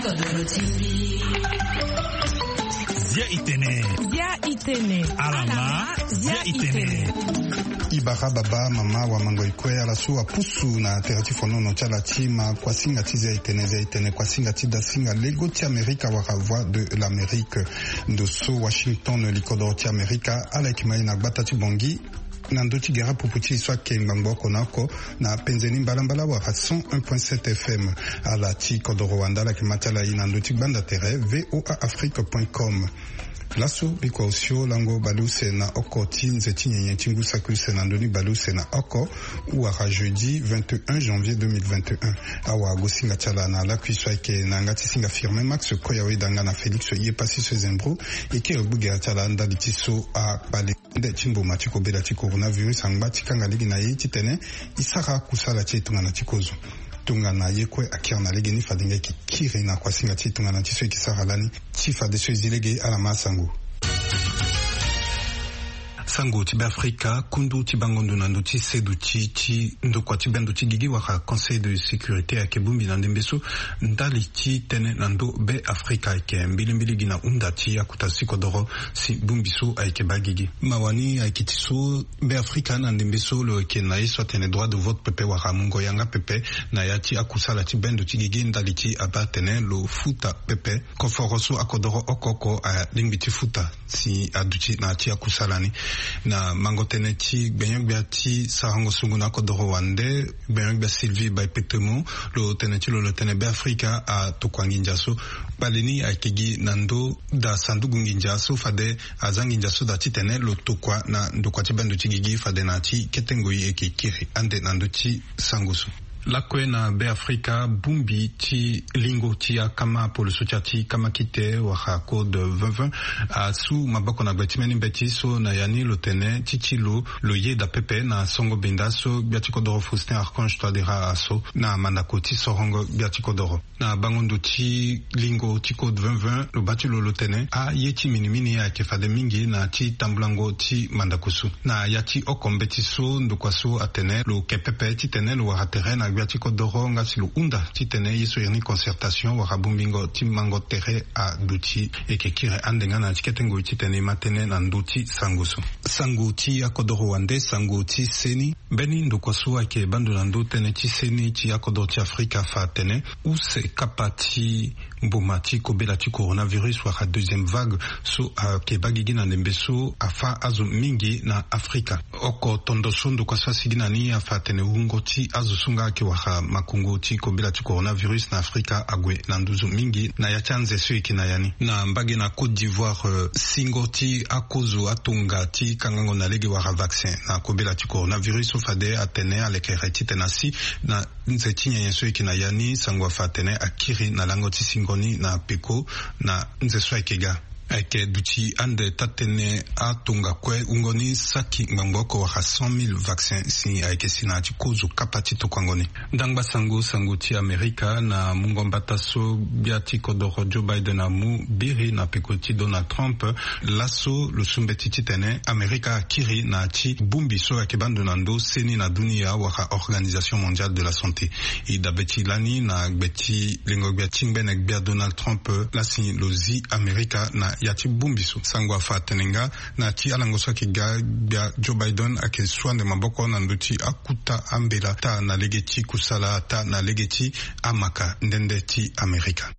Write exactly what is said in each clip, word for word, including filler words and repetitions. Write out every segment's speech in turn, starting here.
Zia itene. Zia itene. Alama. Zia itene. Ibara baba mama wa mango ikue ala so apusu na tere ti fonono ti ala ti ma kuasinga ti zia itene zia itene kuasinga ti dasinga lego ti amerika wara voix de l'amérique. Ndo so washington likodoro ti amerika ala yeke ma ye na gbata ti bongi na ndö ti gere apupu ti e so ayeke ngbangbo oko na oko na penze ni mbalambala wala cent un point sept fm. Ala ti kodoro wanda ala yeke ma ti ala e na ndö ti gbanda tere voa afrique point com. Laso bikua osio lango baleuse na oko ti nze ti nyenye ti ngu saki use na ndö ni baleuse na oko wala jeudi vingt et un janvier deux mille vingt et un. Awagosinga ti ala na lakui so ayeke na yanga ti singa firme max koya weda nga na félix ye pasi so ezembro. E kiri gbu gere ti ala ndali ti so akpale nde ti mboma ti kobela ti coronavirus angba ti kanga lege na ye titene e sara kusala ti e tongana ti kozo. Tongana ye kue akiri na lege ni fade nga e ke kiri na kuasinga ti e tongana ti so e ke sara lani. Ti fadeso e zi lege ala ma asango. Sango ti beafrika kundu ti bango ndo na ndö ti seduti ti ndokua ti bendo ti gigi wala conseil de sécurité ayeke bongbi na ndembe so ndali ti tënë na ndö beafrika ayeke mbilimbili gi na hunda ti akuta sikodoro si bongbi so ayeke baa gigi. Mawa ni ayeke ti so beafrika na ndembe so lo yeke na ye so atene droit de vote pepe wala mungo yanga pepe na ya ti akusala ti bendo ti gigi ndali ti abaa atene lo futa pepe koforo so akodoro oko oko alingbi ti futa si aduti na ya ti akusala ni. Na mango tënë ti gbenyo-gbia ti sarango sungu na akodoro wande gbenyo-gbia sylvie baipetemo lo tene ti lo lo tene beafrika atokua nginza so kpale ni ayeke gi na ndö daa sanduku nginza so fade aza nginza so daa titene lo tokua na ndokua ti bendo ti gigi fade na ya ti kete ngoi e yeke kiri ande na ndö ti sango so. Lakue na beafrika bongbi ti lingo ti akama poloso ti ya ti kama kite wala code vingt vingt asu maboko na gbe ti mbeni mbeti so na ya ni lo tene ti ti lo lo yeda pepe na songo benda so gbia ti kodoro faustin archange toidera aso na mandako ti sorongo gbia ti kodoro. Na bango ndo ti lingo ti code vingt vingt lo baa ti lo lo tene aye ti minimini ayeke fade mingi na ya ti tambulango ti mandako so. Na ya ti oko mbeti so ndokua so atene lo ke pepe titene lo wara tere na gbia ti kodoro nga si lo hunda titene ye so iri ni concertation wara bongbingo ti mango tere aduti. E yeke kiri ande nga na ya ti kete ngoi titene e ma tënë na ndö ti sango so. Sango ti akodoro wande sango ti seni. Mbeni ndokua so ayeke bando na ndö tënë ti seni ti akodoro ti afrika afa atene use kapa ti mboma ti kobela ti coronavirus wala deuxième vague so ayeke baa gigi na ndembe so afa azo mingi na afrika. Oko tondo so ndokua so asigi na ni afa atene wungo ti azo so nga ayeke wara makongo ti kobela ti coronavirus na afrika ague na nduzu mingi na ya ti anze so e yeke na ya ni na mbage na côte d'ivoire singo ti akozo atonga ti kangango na lege wala vaccin na kobela ti coronavirus so fade atene alekere titene asi na nze ti nyenye so e yeke na ya ni sango afa atene akiri na lango ti singo ni na peko na nze so ayeke ga. Ayeke duti ande taa-tënë atonga kue wungo ni saki ngbangbo oko wala cent mille vaccin si ayeke si na ya ti kozo kapa ti tokuango ni. Ndangba sango sango ti amerika na mungo mbata so gbia ti kodoro joe biden amu biri na peko ti donald trump. Laso lo su mbeti titene amerika akiri na ya ti bongbi so ayeke baa ndo na ndö seni na dunia wala organisation mondiale de la santé. E dabe ti lani na gbe ti lengo gbia ti ngbene gbia donald trump lasi lo zi amerika na ya ti bongbi so sango afa atene nga na ya ti alango so ayeke ga gbia joe biden ayeke su ande maboko na ndö ti akuta ambela taa na lege ti kusala taa na lege ti amaka nde nde ti amerika.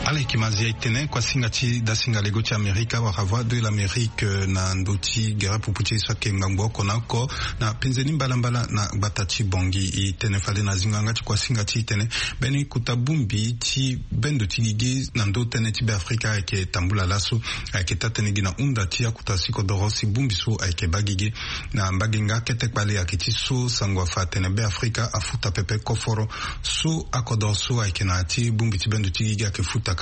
Ala yeke ma zia e tene kuasinga ti dasinga lego ti amerika wala voix de l'amérique na ndö ti gere pupu ti e so ayeke ngbangbo oko na oko na penze ni mbalambala na gbata ti bongi. E tene fade na zingo yanga ti kuasinga ti e tene mbeni kota bongbi ti bendo ti gigi na ndö tënë ti beafrika ayeke tambula laso. Ayeke taa-tënë gi na hunda ti akuta sikodoro si bongbi so ayeke baa gigi. Na mbage nga kete kpale ayeke ti so sango afa atene beafrika afuta pepe koforo so akodoro so ayeke na ya ti bongbi ti bendo ti gigi ayeke futaka.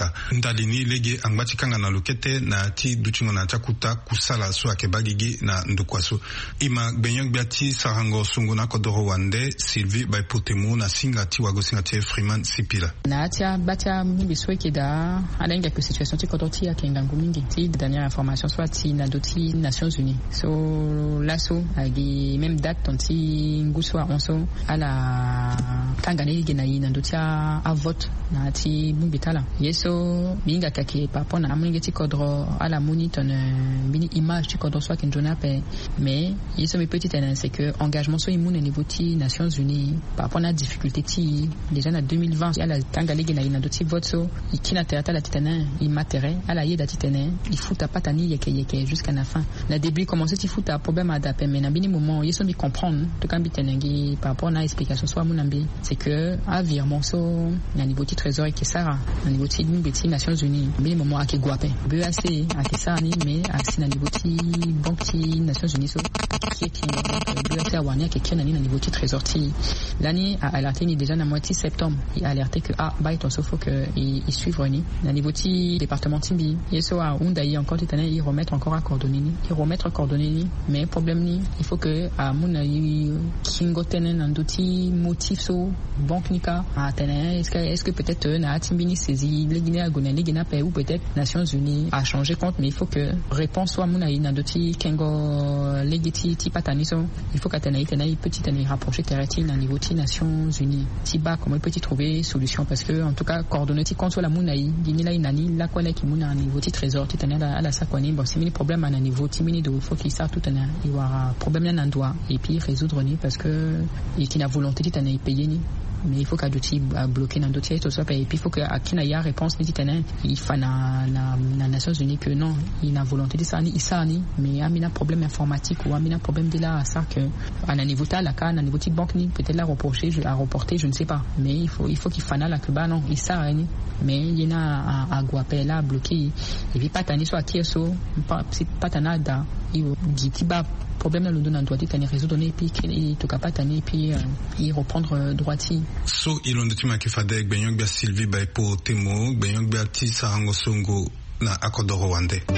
Tali ni lege angba ti kanga na lo kete na ya ti dutingo na ya ti akuta kusala so ayeke baa gigi na ndokua so. E ma gbenyo-gbia ti sarango songo na akodoro wande Sylvie Baipotemo na singa ti wagosinga ti Freeman Sipila. Na ya ti abaa ti amungbi so ayeke daa, ala hinga ke situation ti kodro ti e ayeke ngangu mingi. Ti dernière information so ati na ndö ti Nations Unies so laso agi même date ton ti ngu so ahon so ala kanga ni lege na e na ndö ti avote na ya ti bongbi ti ala. Ye so mbi hinga ke ayeke par rapport na amolenge ti kodro, ala mu ni tongana mbeni image ti kodro so ayeke nzoni ape. Mais ye so mbi pe ti tene c'est que engagement so e mu na niveau ti Nations Unies par rapport na adifficulté ti e déjà na deux mille vingt, ala kanga lege na e na ndö ti vote so, e kiri na tere ti ala titene e ma tere, ala yeda titene e futa patani yeke yeke jusqu'à na fin. Na début e commence ti futa problème ada ape, mais na mbeni moment ye so mbi comprendre, en tout cas mbi tene gi par rapport na explication so amu na mbi, c'est que avirement so na niveau ti trésor ayeke sara na niveau ti bongbi ti Nations Unies, mbeni moment ayeke gue ape. B E A C ayeke sara ni, mais asi na niveau ti banque ti Nations Unies so ayeke kiri kiri. Donc B E A C awara ni ayeke kiri na ni na niveau ti trésor ti e. Lani a alerte ni déjà na mois ti septembre, e alerte que ah baa e ton so faut que e, e suivre ni na niveau ti département ti mbi. Ye so ahunda e encore titene e remettre encore acoordonné ni, e remettre coordonné ni. Mais problème ni, il faut que amu na e kingo tënë na ndö ti motif so banque ni kâ atene est-ce que, est-ce que peut-être na ya ti mbeni saisie lege ni ague na lege ni ape, ou peut-être Nations Unies a changer compte. Mais il faut que réponse so amu na e na ndö ti kengo lege ti, ti patani so, il faut que atene e tene e peut titene e rapprocher tere ti e na niveau ti Nations Unies ti baa comment e peut ti trouver solution, parce que en tout cas coordonné ti compte so ala mu na e, gi ni laa e na ni lakue laa e yeke mu na niveau ti trésor titene ala, ala sara kua ni. Bon, si mbeni problème a na niveau ti mbeni do, il faut que e sara tout titene e wara problème ni na ndo, et puis résoudre ni, parce que e yeke na volonté titene e payer ni. Mais il faut que aduti abloqué na ndö ti aye so ape, et puis il faut que akiri na e aréponse ni titene e fa na, na, na Nations Unies que non, e na volonté ti sara ni, e sara ni. Mais ambeni aproblème informatique ou ambeni aproblème de la asara que a na niveau ti ala kâ, na niveau ti banque ni, peut-être la reproché, je, a reporté, je ne sais pas. Mais il faut, il faut que e fa na ala que baa non, e sara ni. Mais ye ni a, ague ape, la abloqué e. Et puis patani so akiri so, pa, si patani ada, e gi ti baa problème ni alondo na ndo titene e résoudre ni, et puis e tokua patani, et puis euh, e reprendre euh, droit ti e. So e londo ti mo ayeke fade gbenyo-gbia Sylvie Baipotemo, gbenyo-gbia ti sarango songo na akodoro wande. E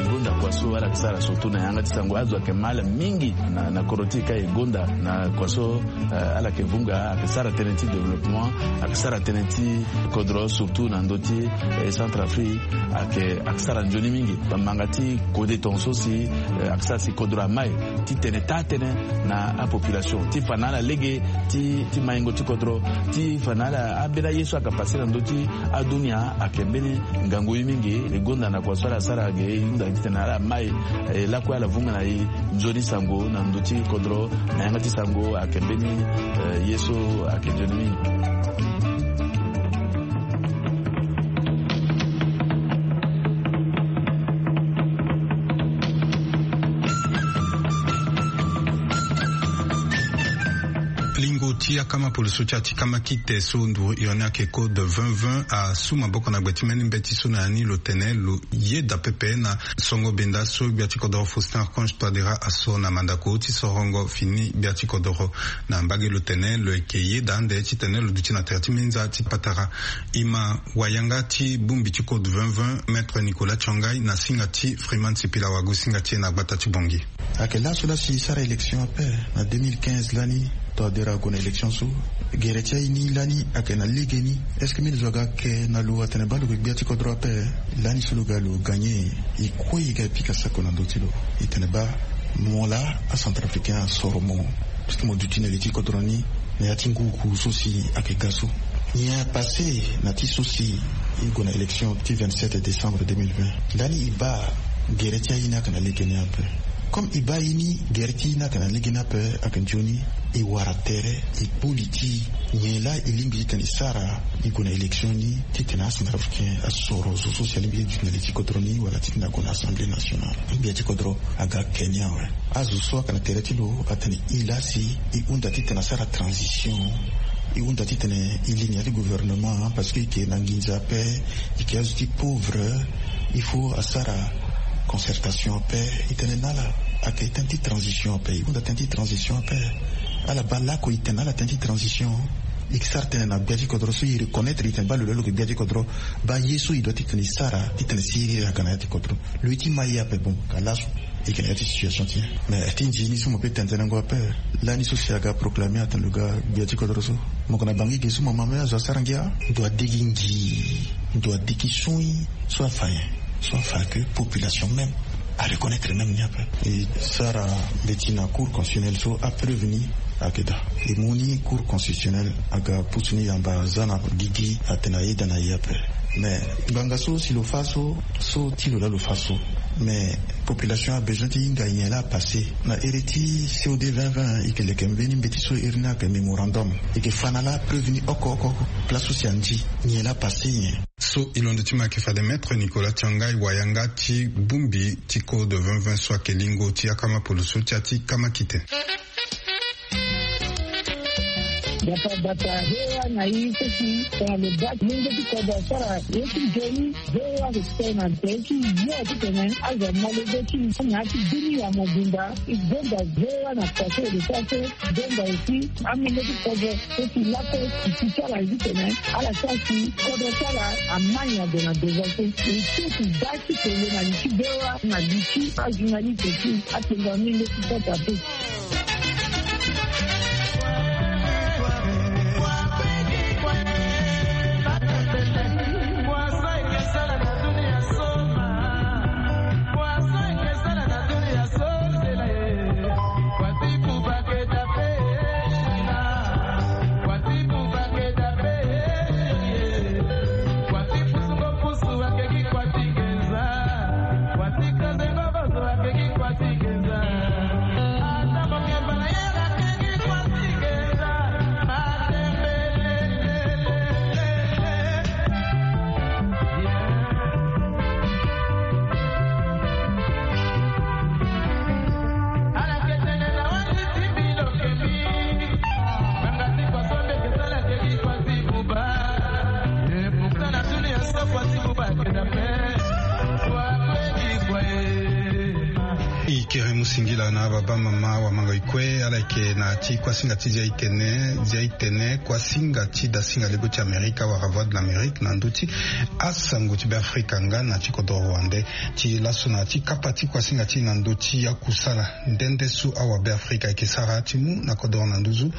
gonda kua so ala yeke sara surtout na yanga ti sango, azo ayeke ma ala mingi na, na kodro ti e ka e gonda na kua so, eh, ala yeke vunga, ayeke sara tënë ti développement, ayeke sara tënë ti kodro surtout na ndö ti, eh, Centrafrique, ayeke, ayeke sara nzoni mingi. Bamanga ti kode tongaso si, eh, ayeke sara si kodro amai titene taa tënë na apopulation ti fa na ala lege ti, ti maingo ti kodro, ti fa na ala ambeni aye so ayeke pase na ndö ti adunia ayeke mbeni ngangu ye mingi. E gonda na kua so ala sara ge, e hunda titene ala mai, eh, lakue ala vunga na e nzoni sango na ndö ti kodro, na yanga ti sango ayeke mbeni, eh, ye so ayeke nzoni mingi. Lingo ti akama polo so ti ati kama kite so nduru iri ni ayeke code vingt vingt asu maboko na gbe ti mbeni mbeti so na ya ni lo tene lo yeda pepe na songo benda so gbia ti kodoro Faustin Archange Touadéra asoro na mandako ti sorongo fini gbia ti kodoro. Na mbage lo tene lo yeke yeda ande titene lo duti na tere ti minza ti patara. E ma wayanga ti bongbi ti code vingt vingt, Maître Nicolas Tshangai na singa ti Freeman Sipila, wagosinga ti e na gbata ti Bangui. Ayeke laso laa si e sara élection ape na deux mille quinze lani, Touadéra ague na élection so. Gere ti aye ni lani ayeke na legeni. Est-ce que mbeni zo aga ke na lo atene baa lo yeke gbia ti kodro ape? Lani so lo ga lo gagné, e kue e ga e pika sako na ndö ti lo, e tene baa mo laa acentrafricain asoro mo, parce que mo duti na li ti kodro ni na ya ti nguku so si ayeke ga so. Nyen apassé na ti so si e gue na élection ti vingt-sept décembre deux mille vingt? Lani e baa gere ti aye ni ayeke na legeni ape. Comme e baa ye ni gere ti e ni ayeke na legeni ape, ayeke nzoni e wara tere, e kpo li ti e. Nyen laa e lingbi titene e sara? E gue na élection ni titene acentrafricain asoro zo so si alingbi ti duti na li ti kodro ni wala titene ague na Assemblée nationale. Gbia ti kodro aga ake ni awe. Azo so ayeke na tere ti lo atene e laa si e hunda titene asara transition, e hunda titene e li na ya ti gouvernement, parce que e yeke na nginza ape, e yeke azo ti pauvre. Il faut asara concertation ape. E tene na ala ayeke tënë ti transition ape, e hunda tënë ti transition ape. Ala baa laoko e tene na ala tënë ti transition. E ke sara tene na gbia ti kodro so e reconnaître e tene baa lo laa lo yeke gbia ti kodro. Baa ye so e doit titene e sara titene si iri aga na ya ti kodro. Lo ye ti ma ye ape, bon, ka laso e yeke na ya ti situation ti e. Mais ti nzini so mo pe tendenango ape, lani so si aga proclamer atene lo ga gbia ti kodro so, mo yeke na bangi ge so mo ma me azo asara ngia. Ndo adigi ngi, ndo adigi sui, so afa nyen? So afa ke population même a reconnaître même ni ape. E sara mbeti na cour constitutionnelle so apreuve ni ayeke daa. E mu ni cour constitutionnelle aga pusu ni yamba za na gigi atene ayeda na e ape. Mais ngbanga so si lo fa so, so ti lo laa lo fa so. Mais population a besoin ti hinga nyen laa apassé na iri ti C O D vingt vingt. E yeke leke mbeni mbeti so iri ni ayeke mémorandum. E yeke fa na laa preuve ni oko oko oko. Place so si andi nyen laa apassé nyen. So e londo ti mo ayeke fade Maître Nicolas Tiangai, wayanga ti bongbi ti code vingt vingt so ayeke lingo ti akama poloso ti ya ti kama kite. Bata bata, V O A na i seki tongana lo baa ti lenge ti kodro asara ye ti nzoni. V O A ayeke tene na tere ti yo titene azo amolenge ti na ya ti bini ya mobimba. E gonda V O A na kua so e lo sara so. Gonda aussi amolenge ti kodro so si lakue e si ti ala titene ala sara si kodro ti ala amai ague na devant so. E so e baa ti tene na li ti V O A na li ti ajournaliste ti atengua amolenge ti kota pe. E kere mu singila na baba mama wa mango e kue. Ala yeke na ti kuasinga ti zia e tene, zia e tene kuasinga ti dasinga lego ti Amerika wala Voix de l'Amérique na ndö ti asango ti Beafrika nga na ti kodro wande. Ti laso na ti kapa ti kuasinga ti e na ndö ti akusala nde nde so awa Beafrika ayeke sara ti mu na kodro na nduzu.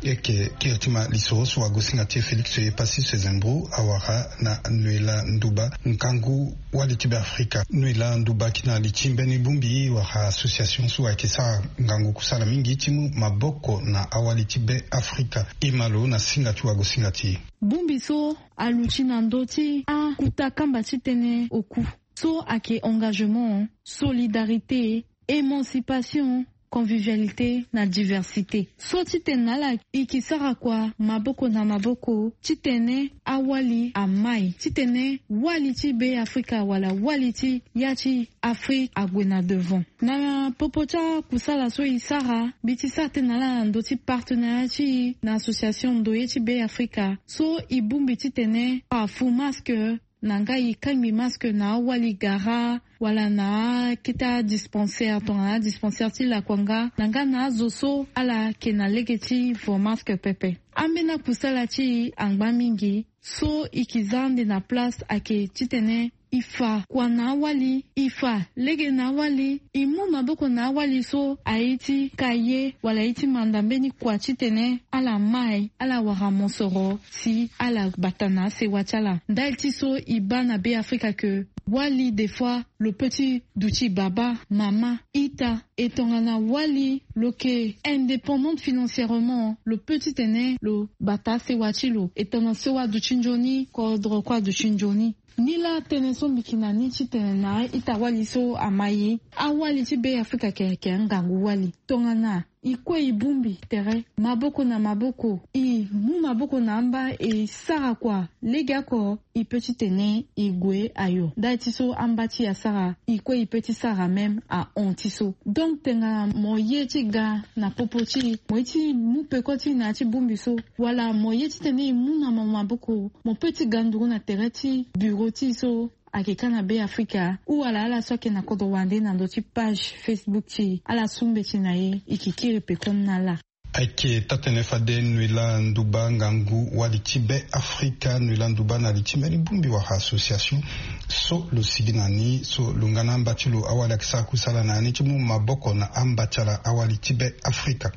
E yeke kiri ti ma lisoro so wagosinga ti e Félix Epassis Sezembro awara na Noëlla Ndouba, ngangu wali ti Beafrika. Noëlla Ndouba, ki na li ti mbeni bongbi wala association so ayeke sara ngangu kusala mingi ti mu maboko na awali ti Beafrika. E ma lo na singa ti wagosinga ti e. Bongbi so aluti na ndö ti akuta kamba ti tënë oku so ayeke engagement, solidarité, émancipation, convivialité na diversité. So titene na ala e ke sara kua maboko na maboko titene awali amai, titene wali ti Beafrika wala wali ti ya ti Afrique ague na devant. Na popo ti akusala so e sara, mbi ti sara tënë na ala na ndö ti partenariat ti e na association Ndoye ti Beafrika so e bongbi titene afu masque na nga e kangbi masque na awali gara wala na akete adispensaire tongana adispensaire ti lakua nga na nga na azo so ala yeke na lege ti vo masque pepe. Ambeni akusala ti e angba mingi so e ke za ande na place ayeke titene e fa kua na awali, e fa lege na awali, e mu maboko na awali so aye ti ka ye wala aye ti manda mbeni kua titene ala mai, ala wara mosoro si ala bata na asewa ti ala. Ndali ti so e baa na Beafrika ke wali des fois lo peut ti duti baba, mama, ita. E tongana wali lo yeke indépendante financièrement, lo peut titene lo bata asewa ti lo. E tongana so aduti nzoni, kodro kue aduti nzoni. Nilaa tënë so mbi yeke na ni titene na a-ita-wali so amai, awali ti Beafrika ayeke, ayeke angangu wali. Tongana e kue e bongbi tere maboko na maboko, e mu maboko na amba e sara kua legeoko, e peut titene e gue ayo. Ndali ti so amba ti e asara, e kue e peut ti sara même ahon ti so. Donc tongana mo ye ti ga na popo ti e, mo ye ti mu peko ti e na ya ti bongbi so, wala mo ye titene e mu na mo maboko, mo peut ti ga nduru na tere ti bureau ti e so ayeke ka na Beafrika, ou wala ala so ayeke na kodro wande na ndö ti page Facebook ti e, ala su mbeti na e, e yeke kiri pekoni na ala. Ayeke taa-tënë fade noël nduba ngangu wali ti be afrika noël nduba na li ti mbeni bongbi wala association so lo sigi na ni so lo nga na amba ti lo awali ayeke sara kusala na ya ni ti mu maboko na amba ti ala awali ti be afrika.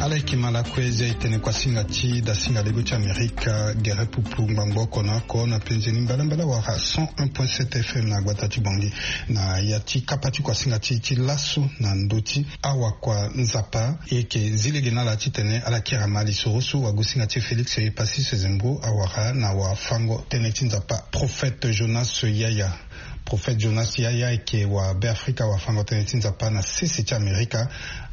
Ala yeke ma lakue zia e tene kuasinga ti dasinga lego ti amerika gere pupu ngbangbo oko na oko na penze ni mbalambala wala cent un point sept fm na gbata ti bangi. Na ya ti kapa ti kuasinga ti ti laso na ndö ti awakua nzapa e yeke zi lege na ala titene ala kiri ama lisoro so wagosinga ti félix e pasi sezembro awara na wafango tënë ti nzapa prophète jonas yaya. Prophète jonas yaya ayeke wabeafrika wafango tënë ti nzapa na sese ti amerika.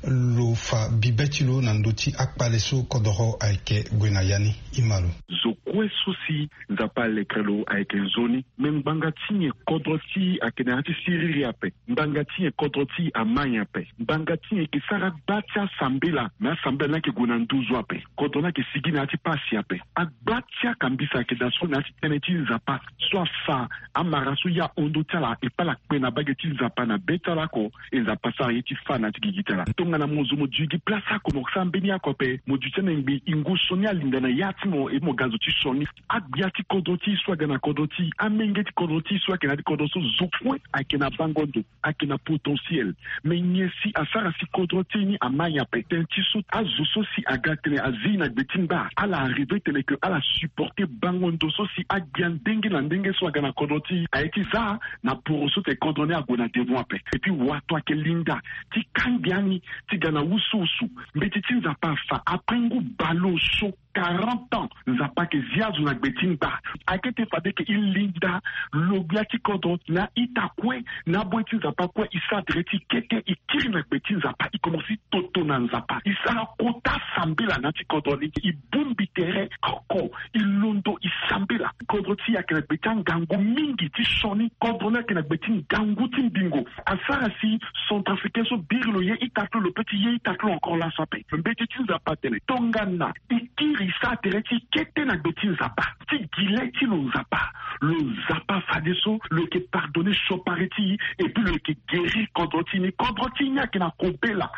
Lo fa bibe ti lo na ndö ti akpale so kodoro ayeke gue na ya ni. Ima lo. Zo kue so si nzapa alekere lo ayeke nzoni. Me ngbanga ti nyen kodro ti e ayeke na ya ti siriri ape? Ngbanga ti nyen kodro ti e ama nyen ape? Ngbanga ti nyen e yeke sara gba ti asambela? Me asambela ni ayeke gue na nduzu ape. Kodro ni ayeke sigi na ya ti pasi ape. Agba ti akambisa ayeke daa so na ya ti tënë ti nzapa so afa amara so ya hondo ti ala e pala kpe na bage ti nzapa na be ti ala oko. E nzapa sara ye ti fa na ya ti gigi ti ala tongana mo zo mo dui gi place oko mo sara mbeni oko ape mo dui ti ana ngbi ingu so ni alinda na ya ti mo e mo ga zo ti sioni. Agbia ti kodro ti e so aga na kodro ti e amenge ti kodro ti e so ayeke na ya ti kodro so zo kue ayeke na bango ndo. Ayeke na potentiel. Me nyen si asara si kodro ti e ni ama nyen ape tënë ti so azo so si aga tene azi na gbe ti ngba ala arrive tene ke ala supporte bango ndo so si agbia ndenge na ndenge so aga na kodro ti e aye ti za na poro so tene kodro ni ague na devant ape. Epui wato ayeke linda ti kangbi ani ti ga na wusuwusu. Mbeti ti nzapa afa après ngu baleoso quarante ans nzapa ayeke zi azo na gbe ti ngba. Ayeke ete fade ke e linda lo gbia ti kodro na ita kue na aboi ti nzapa kue e sara tere ti kete e kiri na gbe ti nzapa e komanse toto na nzapa e sara kota sambela na ya ti kodro ni e bongbi tere oko e londo e sambela. Kodro ti e ayeke na gbe ti angangu mingi ti sioni. Kodro ni ayeke na gbe ti ngangu ti mbingo. Asara si centrafricain so biri lo ye ita ti lo lo pe ti ye ita ti lo encore laso ape. Mbeti ti nzapa atene tongana e kiri e sara tere ti e kete na gbe ti nzapa ti gi le ti lo nzapa lo nzapa fadeso lo yeke pardonne siopari ti e. Epui lo yeke guérir kodro ti e ni kodro ti e ni ayeke na kobela.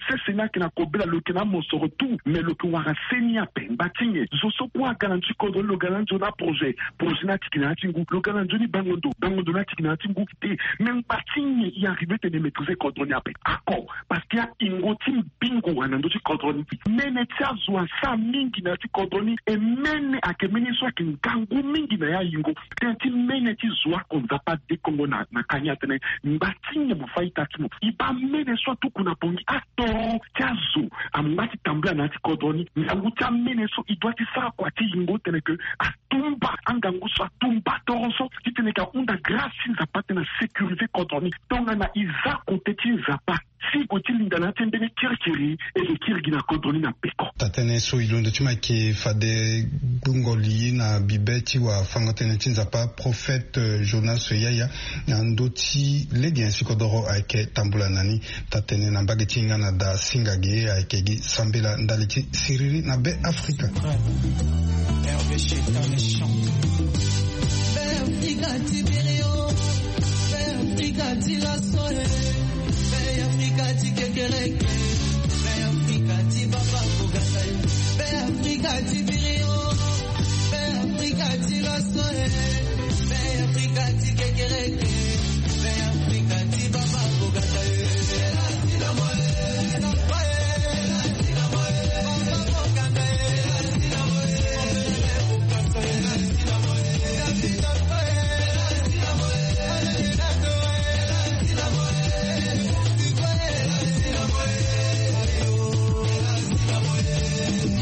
Sese ni ayeke na kobela lo yeke na amosoro tout mais lo yeke wara se ni ape ngba ti nyen? Zo so kue aga na ndö ti kodro ni lo ga na nzoni aprojet projet ni atiki na ya ti ngu lo ga na nzoni bango ndo bango ndo ni atiki na ya ti ngu te. Me ngba ti nyen e arrive tene e maîtrise kodro ni ape? Ako parce que ahingo ti mbingo wala na ndö ti kodro ni mene ti azo asara mingi na ya ti kodro ni. E mene ayeke mene so ayeke ngangu mingi na ya ahingo. Tënë ti mene ti zo oko nzapa adekongo na na kani atene ngba ti nyen mo fa ita ti mo e baa mene so atuku na bongi atoro ti azo angba ti tambula na ya ti kodro ni. Ngangu ti amene so e doit ti sara kua ti yingo tene ke atumba angangu so atumba toro so titene ke ahunda grâce ti nzapa tena sécuriser kodro ni. Tongana e za kote ti nzapa si e gue ti linda na ya ti mbeni kirikiri e ke kiri gi na kodro ni na peko. Taa-tënë so e londo ti mo ayeke fade gbungo li na bibe ti wafango-tënë ti nzapa prophète jonas yaya na ndö ti lege nyen si kodoro ayeke tambula na ni. Taa-tënë na mbage ti hinga na daa singa ge ayeke gi sambela ndali ti siriri na be afrika. Hervé Cheta méchant. Be afrika ti biri o. Be afrika ti laso e. Be afrika ti kekereke. Be afrika ti baba kogasa e. Be afrika ti biri o. Be afrika ti laso e. Be afrika ti kekereke. Be afrika ti baba kogasa e.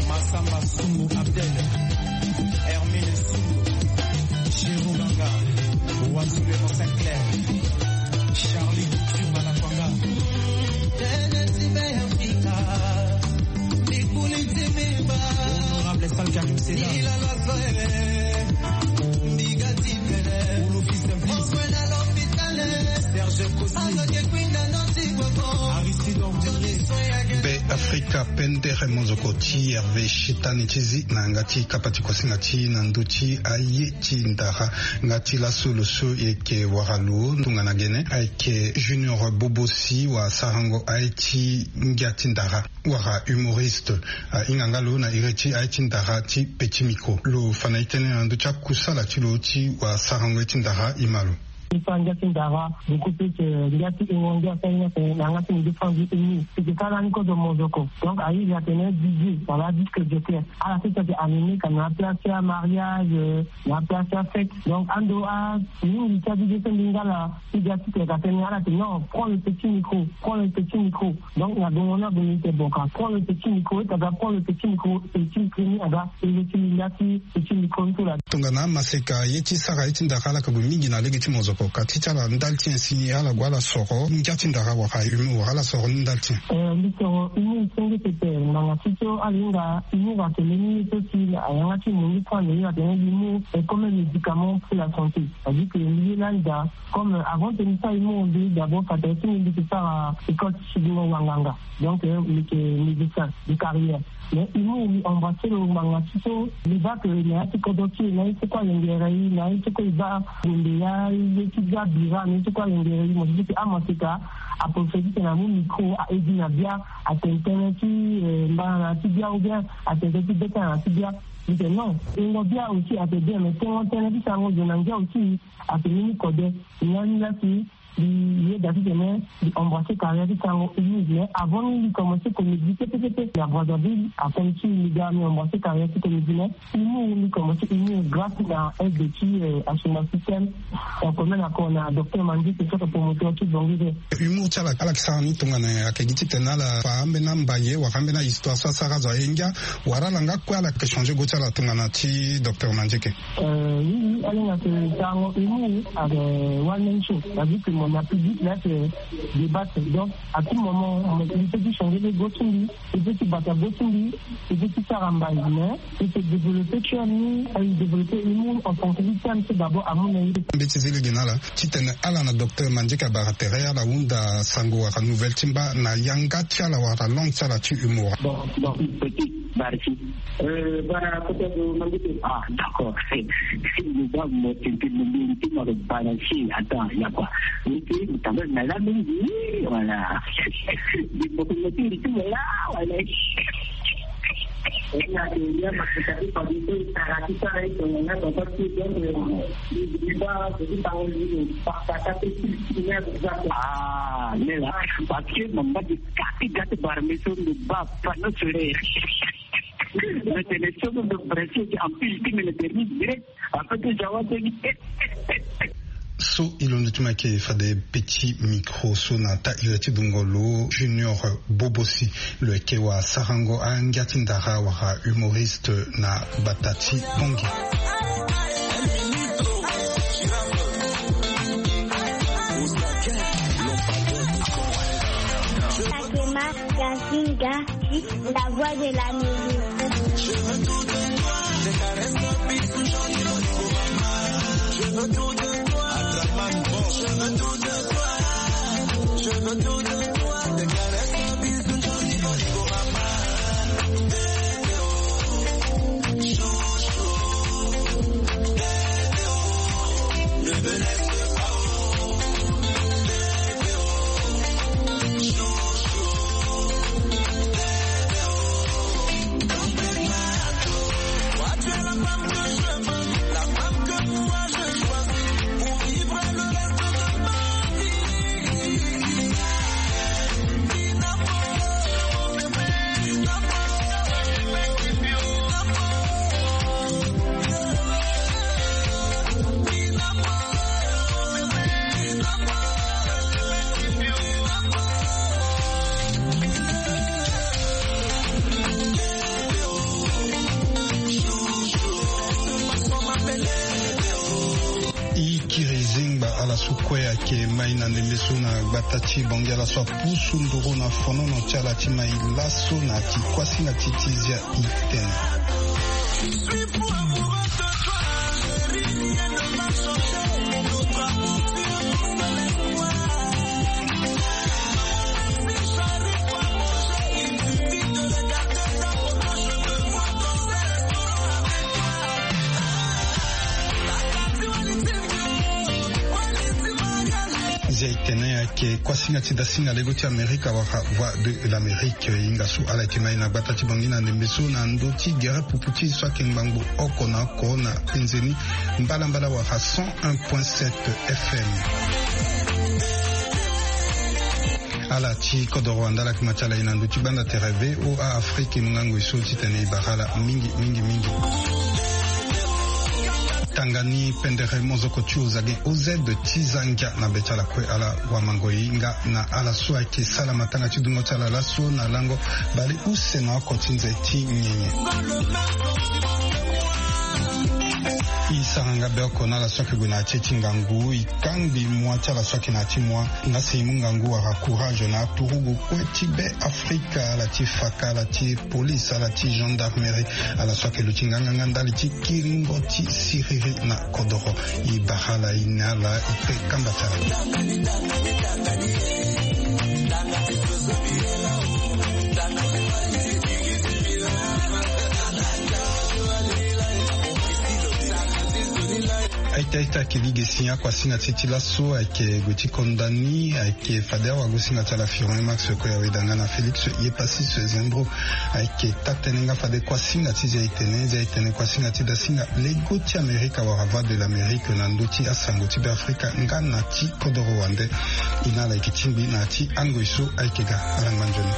Massamba Soumou Abdel, Hermine Soumou, Chérubanga, Wassoulé Sinclair, Charlie Couture Malakwanga. Tënë ti Be Afrika, likuli ti mimba. Honorable Sal Karim Seda. Ilala soele, ndiga ti pele. Ulu fils d'un fils. Okwenda lopitale, Eka pendere mozoko ti Hervé Shitani ti zi na yanga ti kapa ti kuasinga ti na ndö ti aye ti ndara. Nga ti laso lo so e yeke wara lo tongana gene ayeke Junior Bobosi, wa sarango aye ti ngia ti ndara, wala humoriste. Ahinga nga lo na iri ti aye ti ndara ti petit micro. Lo fa na e tënë na ndö ti akusala ti lo ti wa sarango aye ti ndara, e ma lo. Ti fa ngia ti ndara, du coup, plus, euh, ngia ti ingo ngia ti aye ni atene na yanga ti mbi ti fa ngi eni. Ti ke kala ni kozo mozoko. Donc, aye atene D J, wala disque jockey. Ala sese ayeke animé ka na place ti amariage, euh, na place ti afête. Donc, ando a mingi ti a D J so mbi nga laa, ti ga ti tene ka tene, ala tene non, prends le petit micro, prends le petit micro. Donc, na gongo ni ague ni tene bon ka, prends le petit micro, e ta ga prends le petit micro, petit micro ni aga, e ti li nda ti petit micro ni so laa. Tongana amaseka ye ti sara ye ti ndara, ala ka gue mingi na lege ti mozoko. Ka ti ti ala ndali ti nyen si ala gue ala soro ngia ti ndara wala humour, ala soro ni ndali ti nyen? Eh, mbi soro humour senge pepe, ngbanga ti so ala hinga humour atene ni so si ayanga ti mo ni kue ande, atene humour est comme un médicament pour la santé. C'est-à-dire que mbi ye lani daa, comme, euh, avant que mbi sara humour, mbi d'abord, fade ti mbi, mbi ke sara école ti sidingo wanganga. Donc, euh, mbi yeke médecin de carrière. Mais humour mbi embrasser lo ngbanga ti so, mbi baa que na ya ti kodro ti e, na ye ti kue alengere e, na ye ti kue e baa Gombe ya, ye ti bia Bira, na ye ti kue alengere e, mo ti ke amaseka, aprofite ti tene amu micro, a aide na bia, atene tënë ti, euh, mbana na ya ti bia, ou bien atene tënë ti beta na ya ti bia. Mbi tene non, tengo bia aussi ate bien, mais tengo tënë ti sarango zo na ngia aussi ate ni ni kode. Nga ni laa si mbi yeda titene mbi embrasser carrière ti sarango humour, mais avant ni mbi commencer comédie pepe pepe na Brazzaville, akomi ti mbi ga mbi embrasser carrière ti comédie, mais humour mbi commencer humour grâce na aide ti, euh, Assoumani Système. Donc, mbi na ko na docteur Mandieke so ayeke promoteur ti Bongi de. Humour ti ala, ala yeke sara ni tongana nyen? Ayeke gi titene ala fa ambeni ambaye wala ambeni ahistoire so asara azo aye ngia, wala ala nga kue ala yeke changer go ti ala tongana ti docteur Mandieke? Euh, oui, oui, ala hinga ke sarango humour ayeke one man show. C'est-à-dire que mo na public laa ayeke débattre. Donc, à tout moment, mo peut ti changer go ti mbi, mo peut ti bata go ti mbi, mo peut ti sara mbai, mais e peut développer ti ani, e développer humour en tant que thème, c'est d'abord amu na ye. Mbeti zi lege na ala titene ala na docteur Mandieke abara tere ala hunda sango wala nouvelle ti mba na yanga ti ala wala langue ti ala ti humour. Bon, bon, petit, merci. Euh, bara kota zo Mandieke. Ah, d'accord. Mo ba mo tete mo mbi ti mo lo balancer. Attends, il y a quoi? Mbi ti mo tamba na la mingi. Voilà. Di mo ko mo ti mo la, voilà. Ah, nela, parce que mama di kati gati bara meso ndo ba panneau solaire. Mais c'est les choses de presse en plus, qui me le permis direct. Après que j'avais dit, so e londo ti mo ayeke fade petit micro so na taa iri ti dungo lo Junior Bobosi. Lo yeke wa sarango angia ti ndara wala humoriste na gbata ti Bangui. Fatima Yazinga, la voix de l'Amérique. Je veux tout de toi, je caresse ton bisou, je veux tout de toi. Je veux tout de toi, je veux tout de toi. Je veux tout de toi, je caresse ton bisou, je veux tout de toi. E kiri zengba ala so kue ayeke mai na ndembe so na gbata ti Bangui, ala so apusu nduru na fonono ti ala ti mai laso na ti kuasinga ti ti zia. Tene ayeke kuasinga ti dasinga lego ti Amerika wala Voix de l'Amérique. E hinga so ala yeke ma e na gbata ti Bangui na ndembe so na ndö ti gere pupu ti e so ayeke ngbangbo oko na oko na penze ni mbalambala wala cent un point sept F M. Ala ti kodoro wande ala yeke ma ti ala e na ndö ti gbanda tere V O A Afrique, e mu ngangu e so titene e bara ala mingi mingi mingi. Tanga ni pendere mozoko ti ozagen O Z ti za ngia na be ti ala kue ala wamango e hinga na ala so ayeke sala matanga ti dungo ti ala laso na lango bale use na oko ti nze ti nyenye. E sara nga be oko na ala so ayeke gue na ya ti e ti ngangu, e kangbi mua ti ala so ayeke na ya ti mua. Nga si e mu ngangu wala courage na aturugu kue ti be Afrika, ala ti faka, ala ti police, ala ti gendarmerie, ala so ayeke luti nganganga ndali ti kiringo ti siriri na kodoro. E bara ala, e ne ala, e kpe kamba ti ala. Aita aita, ayeke lege si akuasinga ti e ti laso ayeke gue ti konda ni, ayeke fade awagosinga ti ala Firon Max Koyaweda nga na Félix Yepasis Zembro. Ayeke taa-tënë nga fade kuasinga ti zia-etene, zia-etene kuasinga ti dasinga lego ti Amerika wala Voix de l'Amérique na ndö ti asango ti Beafrika nga na ti kodoro wande. E na ala yeke tingbi na ya ti angoi so ayeke ga. Ala ngba nzoni.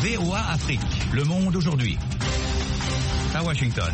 V O A Afrique, le monde aujourd'hui. À Washington.